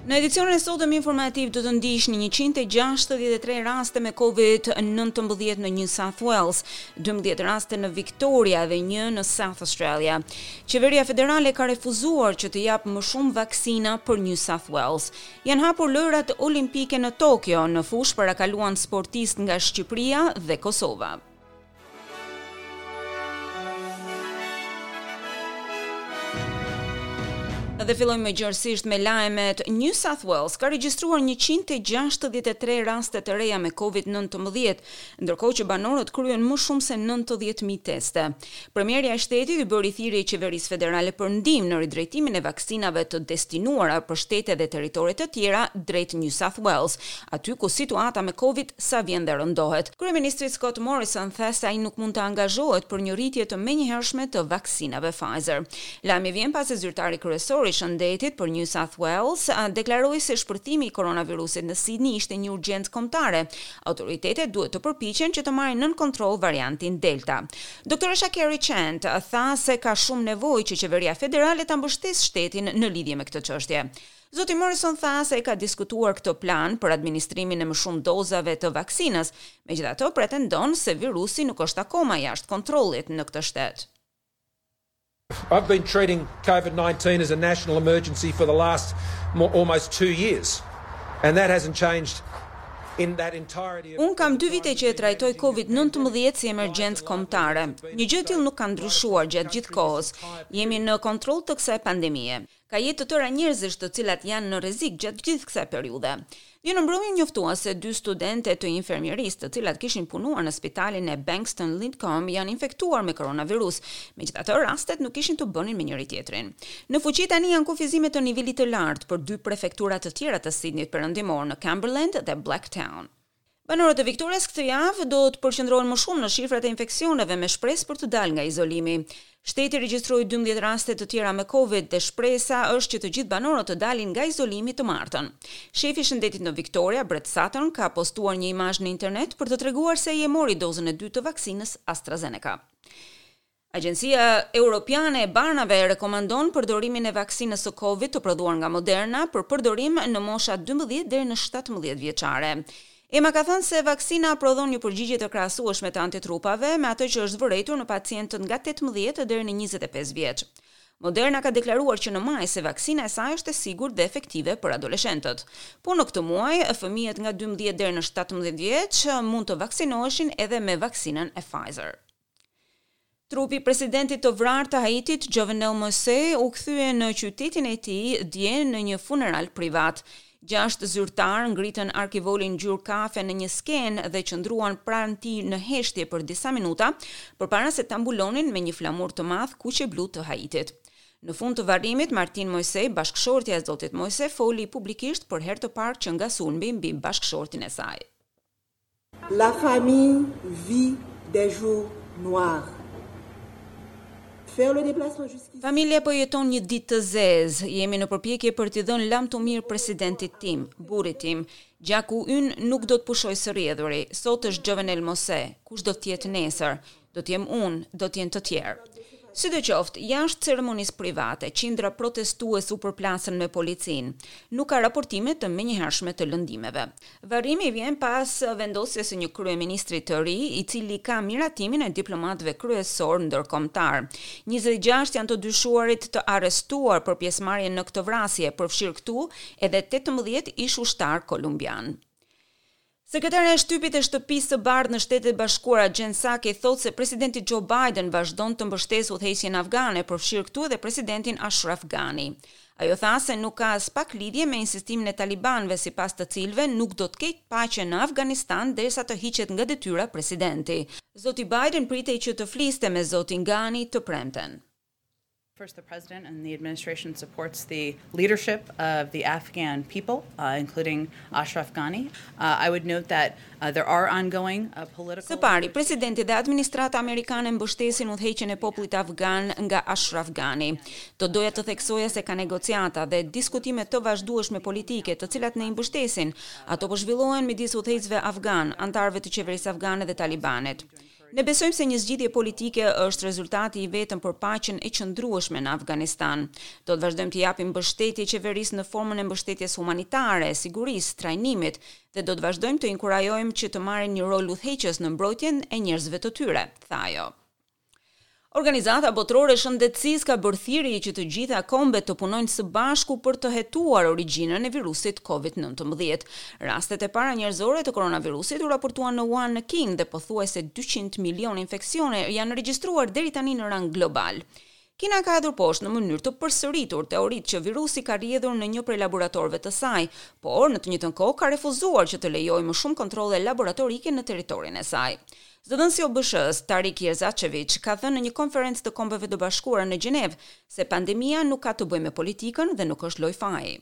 Në edicionin e sotëm informativ do të ndiqni 163 raste me COVID-19 në New South Wales, 12 raste në Victoria dhe një në South Australia. Qeveria federale ka refuzuar që të japë më shumë vaksina për New South Wales. Janë hapur Lojërat Olimpike në Tokio, në fushë parakaluan sportistë nga Shqipëria dhe Kosova. Dhe fillojmë më gjerësisht me lajmet. New South Wales ka regjistruar 163 raste të reja me COVID-19, ndërkohë që banorët kryen më shumë se 90.000 teste. Premierja e shtetit i bëri thirrje qeverisë federale për ndihmë në ridrejtimin e vaksinave të destinuara për shtete dhe territore të tjera drejt New South Wales, aty ku situata me Covid sa vjen dhe rëndohet. Kryeministri Scott Morrison tha se ai nuk mund të angazhohet për një rritje të menjëhershme të vaksinave Pfizer. Lajmi vjen pasi zyrtari kryesor i shëndetit për New South Wales deklaroi se shpërthimi i koronavirusit në Sydney ishte një urgjencë kombëtare. Autoritetet duhet të përpiqen që të marrin nën kontroll variantin Delta. Doktoresha Kerry Chant tha se ka shumë nevojë që qeveria federale ta mbështesë shtetin në lidhje me këtë çështje. Zoti Morrison tha se e ka diskutuar këtë plan për administrimin e më shumë dozave të vaksinës, megjithatë pretendon se virusi nuk është akoma jashtë kontrollit në këtë shtet. I've been treating COVID-19 as a national emergency for the last more, almost two years, and that hasn't changed in that entirety of Unë kam dy vite që e trajtoj COVID-19 si emergjencë kombëtare. Një gjë e tillë nuk ka ndryshuar gjatë gjithë kohës. Jemi në kontroll të kësaj pandemie. Ka jetë të tëra njerëzish të cilat janë në rrezik gjatë gjithë kësaj periudhe. Dje në mbrëmje u njoftua se dy studente të infermierisë, të cilat kishin punuar në spitalin e Bankstown Lidcombe, janë infektuar me koronavirus. Megjithatë, rastet nuk kishin të bënin me njëri-tjetrin. Në fuqi tani janë kufizime të nivelit të lartë për dy prefektura të tjera të Sidnit Perëndimor në Cumberland dhe Blacktown. Banorët e Victorias këtë javë do të përqendrohen më shumë në shifrat e infeksioneve me shpresë për të dalë nga izolimi. Shteti regjistroi 12 raste të tjera me Covid dhe shpresa është që të gjithë banorët të dalin nga izolimi të martën. Shefi i shëndetit në Victoria, Brett Sutton, ka postuar një imazh në internet për të treguar se ai e mori dozën e dytë të vaksinës AstraZeneca. Agjencia Europiane e Barnave rekomandon përdorimin e vaksinës së Covid të prodhuar nga Moderna për përdorim në mosha 12 deri në 17 vjeçare. EMA ka thënë se vaksina prodhon një përgjigje të krahasueshme të antitrupave me atë që është vërejtur në pacientët nga 18 deri në 25 vjeç. Moderna ka deklaruar që në maj se vaksina e saj është e sigurt dhe efektive për adoleshentët. Po në këtë muaj, fëmijët nga 12 deri në 17 vjeç mund të vaksinoheshin edhe me vaksinën e Pfizer. Trupi i presidentit të vrarë të Haitit, Jovenel Moise, u kthye në qytetin e tij dje në një funeral privat. Gjashtë zyrtarë ngritën arkivolin ngjyrë kafe në një skenë dhe qëndruan pranë tij në heshtje për disa minuta, përpara se ta mbulonin me një flamur të madh kuq e blu të Haitit. Në fund të varrimit, Martine Moise, bashkëshortja e zotit Moise, foli publikisht për herë të parë që nga sulmi mbi bashkëshortin e saj. La famille vit des jours noirs. Faire le déplacement jusqu'ici. Familja po jeton një ditë të zezë. Jemi në përpjekje për t'i dhënë lamtumirë presidentit tim, burrit tim. Gjaku ynë nuk do të pushojë së rrjedhuri. Sot është Jovenel Moise. Kush do të jetë nesër? Do të jem unë, do të jenë të tjerë. Sidoqoftë, jashtë ceremonisë private, qindra protestues u përplasën me policinë. Nuk ka raportime të menjëhershme të lëndimeve. Varrimi vjen pas vendosjes së një kryeministri të ri, i cili ka miratimin e diplomatëve kryesorë ndërkombëtarë. 26 janë të dyshuarit të arrestuar për pjesëmarrjen në këtë vrasje, përfshirë këtu edhe 18 ish-ushtarë kolumbianë. Sekretarja e shtypit e Shtëpisë së Bardhë në Shtetet e Bashkuara, Jen Psaki, thotë se presidenti Joe Biden vazhdon të mbështesë udhëheqjen afgane, përfshirë këtu edhe presidentin Ashraf Ghani. Ajo tha se nuk ka aspak lidhje me insistimin e talibanëve, sipas të cilëve nuk do të ketë paqe në Afganistan derisa të hiqet nga detyra presidenti. Zoti Biden pritej që të fliste me zotin Ghani të premten. First, the president and the administration supports the leadership of the Afghan people, uh, including Ashraf Ghani. Uh, I would note that uh, there are ongoing uh, political Së pari, presidenti dhe administrata amerikane mbështesin udhëheqjen e popullit afgan nga Ashraf Ghani. Do doja të theksoja se ka negociata dhe diskutime të vazhdueshme politike, të cilat ne i mbështesin. Ato po zhvillohen midis udhëheqësve afgan, anëtarëve të qeverisë afgane dhe talibanit. Ne besojmë se një zgjidhje politike është rezultati i vetëm për paqen e qëndrueshme në Afganistan. Do të vazhdojmë t'i japim mbështetje qeverisë në formën e mbështetjes humanitare, sigurisë, trajnimit dhe do të vazhdojmë të inkurajojmë që të marrin një rol udhëheqës në mbrojtjen e njerëzve të tyre, tha ajo. Organizata Botërore e Shëndetësisë ka bërë thirrje që të gjitha kombet të punojnë së bashku për të hetuar origjinën e virusit Covid 19. Rastet e para njerëzore të koronavirusit u raportuan në Wuhan në Kinë dhe pothuajse 200 milionë infeksione janë regjistruar deri tani në rang global. Kina ka hedhur poshtë në mënyrë të përsëritur teoritë që virusi ka rrjedhur në një prej laboratorëve të saj, por në të njëjtën kohë ka refuzuar që të lejojë më shumë kontrolle laboratorike në territorin e saj. Zëdhënësi i OBSH-së, Tarik Jasarevic, ka thënë në një konferencë të Kombeve të Bashkuara në Gjenevë se pandemia nuk ka të bëjë me politikën dhe nuk është lojë faji.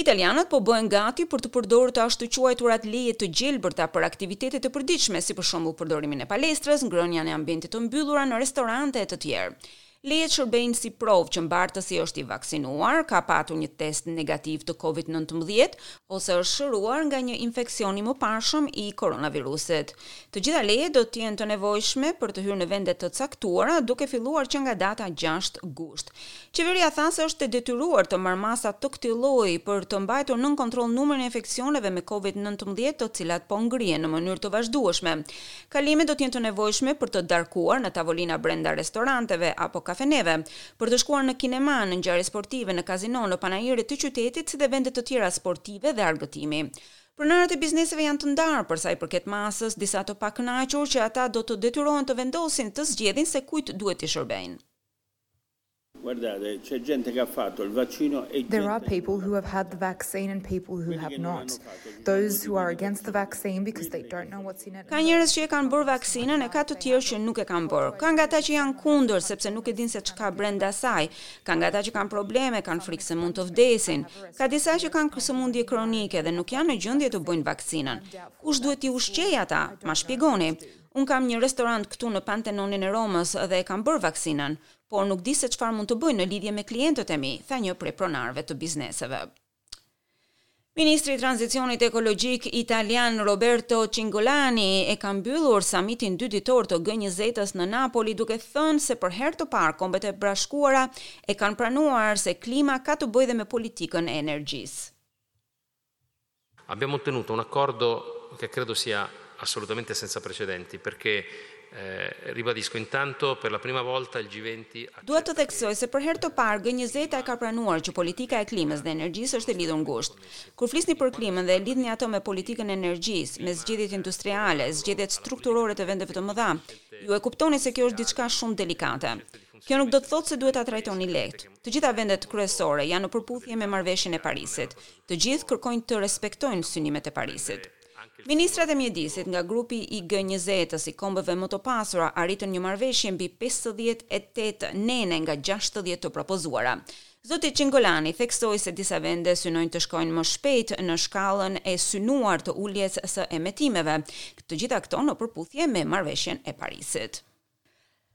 Italianët po bëhen gati për të përdorur të ashtuquajturat leje të gjelbërta për aktivitete të përditshme, si për shembull përdorimin e palestrës, ngrënien e ambiente të mbyllura në restorante e të tjerë. Lejet shërbejnë si provë që mbartësi është i vaksinuar, ka patur një test negativ të COVID-19 ose është shëruar nga një infeksion i mëparshëm i koronavirusit. Të gjitha lejet do të jenë të nevojshme për të hyrë në vende të caktuara, duke filluar që nga data 6 gusht. Qeveria tha se është e detyruar të marrë masa të këtij lloji për të mbajtur nën kontroll numrin e infeksioneve me COVID-19, të cilat po ngrihen në mënyrë të vazhdueshme. Kalimet do të jenë të nevojshme për të darkuar në tavolina brenda restoranteve apo kafeneve, për të shkuar në kinema, në ngjarje sportive, në kazino, në panaire të qytetit, si dhe vende të tjera sportive dhe argëtimi. Pronarët e bizneseve janë të ndarë për sa i përket masës, disa të pakënaqur që ata do të detyrohen të vendosin të zgjedhin se kujt duhet t'i shërbejnë. Guardate, c'è gente che ha fatto il vaccino e There are people who have had the vaccine and people who have not. Those who are against the vaccine because they don't know what's in it. Ka njerëz që e kanë bërë vaksinën e ka të tjerë që nuk e kanë bërë. Ka nga ata që janë kundër sepse nuk e dinë se ç'ka brenda saj. Ka nga ata që kanë probleme, kanë frikë se mund të vdesin. Ka disa që kanë sëmundje kronike dhe nuk janë në gjendje të bëjnë vaksinën. Kush duhet t'i ushqejë ata? Ma shpjegoni. Unë kam një restorant këtu në Pantenonin e Romës dhe e kam bërë vaksinën, por nuk di se çfarë mund të bëj në lidhje me klientët e mi, tha një prej pronarëve të bizneseve. Ministri i Tranzicionit Ekologjik italian Roberto Cingolani e ka mbyllur samitin dy ditor të G20-s në Napoli duke thënë se për herë të parë Kombet e Bashkuara e kanë pranuar se klima ka të bëjë dhe me politikën e energjisë. Abbiamo ottenuto un accordo che credo sia assolutamente senza precedenti perché eh, ribadisco intanto per la prima volta il G20 Dua të theksoj se për herë të parë G20 e ka pranuar që politika e klimës dhe energjisë është e lidhur ngushtë. Kur flisni për klimën dhe e lidhni ato me politikën e energjisë, me zgjedhjet industriale, zgjedhjet strukturore të vendeve të mëdha, ju e kuptoni se kjo është diçka shumë delikate. Kjo nuk do të thotë se duhet ta trajtoni lehtë. Të gjitha vendet kryesore janë në përputhje me marrëveshjen e Parisit. Të gjithë kërkojnë të respektojnë synimet e Parisit. Ministrat e mjedisit nga grupi i G20-s i kombeve më të pasura arritën një marrëveshje mbi 58 nene nga 60 të propozuara. Zoti Cingolani theksoi se disa vende synojnë të shkojnë më shpejt në shkallën e synuar të uljes së emetimeve. Të gjitha këto në përputhje me marrëveshjen e Parisit.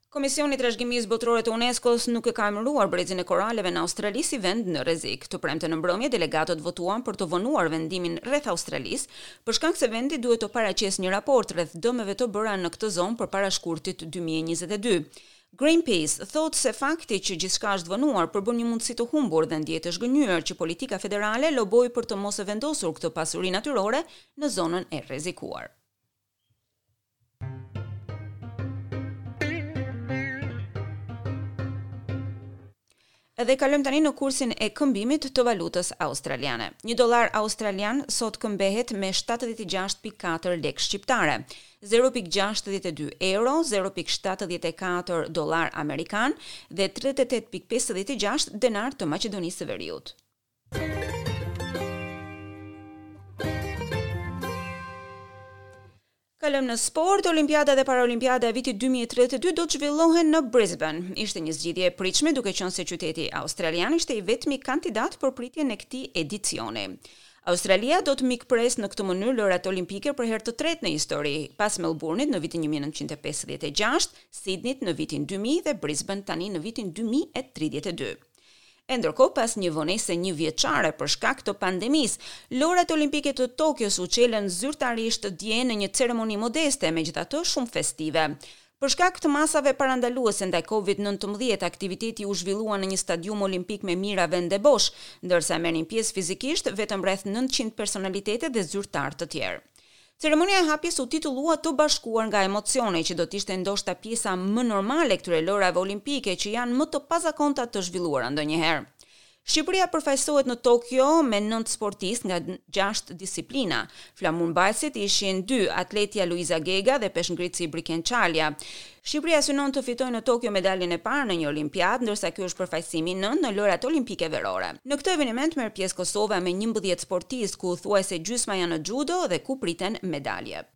Komisioni i Trashëgimisë Botërore të UNESCO-s nuk e ka emëruar brezin e koraleve në Australi si vend në rrezik. Të premten në mbrëmje delegatët votuan për të vonuar vendimin rreth Australisë, për shkak se vendi duhet të paraqesë një raport rreth dëmeve të bëra në këtë zonë përpara shkurtit 2022. Greenpeace thotë se fakti që gjithçka është vonuar përbën një mundësi të humbur dhe ndjehet e zhgënjyer që politika federale loboi për të mos e vendosur këtë pasuri natyrore në zonën e rrezikuar. Edhe kalojmë tani në kursin e këmbimit të valutës australiane. Një dollar australian sot këmbehet me 76.4 lekë shqiptare, 0.62 euro, 0.74 dollar amerikan dhe 38.56 denar të Maqedonisë së Veriut. Kalojmë në sport, Olimpiada dhe Paralimpiada e vitit 2032 do të zhvillohen në Brisbane. Ishte një zgjidhje e pritshme duke qenë se qyteti australian ishte i vetmi kandidat për pritjen e këtij edicioni. Australia do të mikpresë në këtë mënyrë lojërat olimpike për herë të tretë në histori, pas Melbourne-it në vitin 1956, Sydney-t në vitin 2000 dhe Brisbane tani në vitin 2032. E ndërkohë pas një vonese njëvjeçare për shkak të pandemisë, Lojërat Olimpike të Tokios u çelën zyrtarisht dje në një ceremoni modeste, megjithatë shumë festive. Për shkak të masave parandaluese ndaj Covid 19, aktiviteti u zhvillua në një stadium olimpik me mijëra vende bosh, ndërsa merrnin pjesë fizikisht vetëm rreth 900 personalitete dhe zyrtarë të tjerë. Ceremonia e hapjes u titullua Të bashkuar nga emocione, që do të ishte ndoshta pjesa më normale e këtyre lojërave olimpike që janë më të pazakonta të zhvilluara ndonjëherë. Shqipëria përfaqësohet në Tokio me 9 sportistë nga 6 disiplina. Flamurmbajtësit ishin dy, atletja Luiza Gega dhe peshngritësi Briken Çalja. Shqipëria synon të fitojë në Tokio medaljen e parë në një olimpiadë, ndërsa ky është përfaqësimi i nëntë në Lojërat Olimpike Verore. Në këtë eveniment merr pjesë Kosova me 11 sportistë, ku thuajse gjysma janë në xhudo dhe ku priten medalje.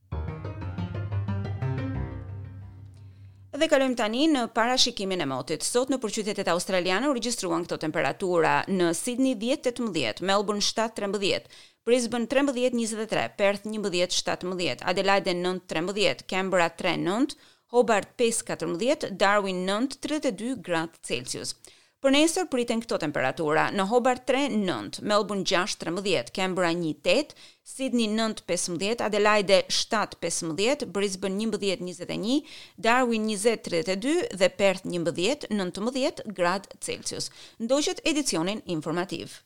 Dhe kalojmë tani në parashikimin e motit. Sot nëpër qytetet australiane u regjistruan këto temperatura: në Sydney 10-18, Melbourne 7-13, Brisbane 13-23, Perth 11-17, Adelaide 9-13, Canberra 3-9, Hobart 5-14, Darwin 9-32 gradë Celsius. Për nesër priten këto temperatura: në Hobart 3 9, Melbourne 6 13, Canberra 1 8, Sydney 9 15, Adelaide 7 15, Brisbane 11 21, Darwin 20 32 dhe Perth 11 19 gradë Celsius. Ndoqët edicionin informativ.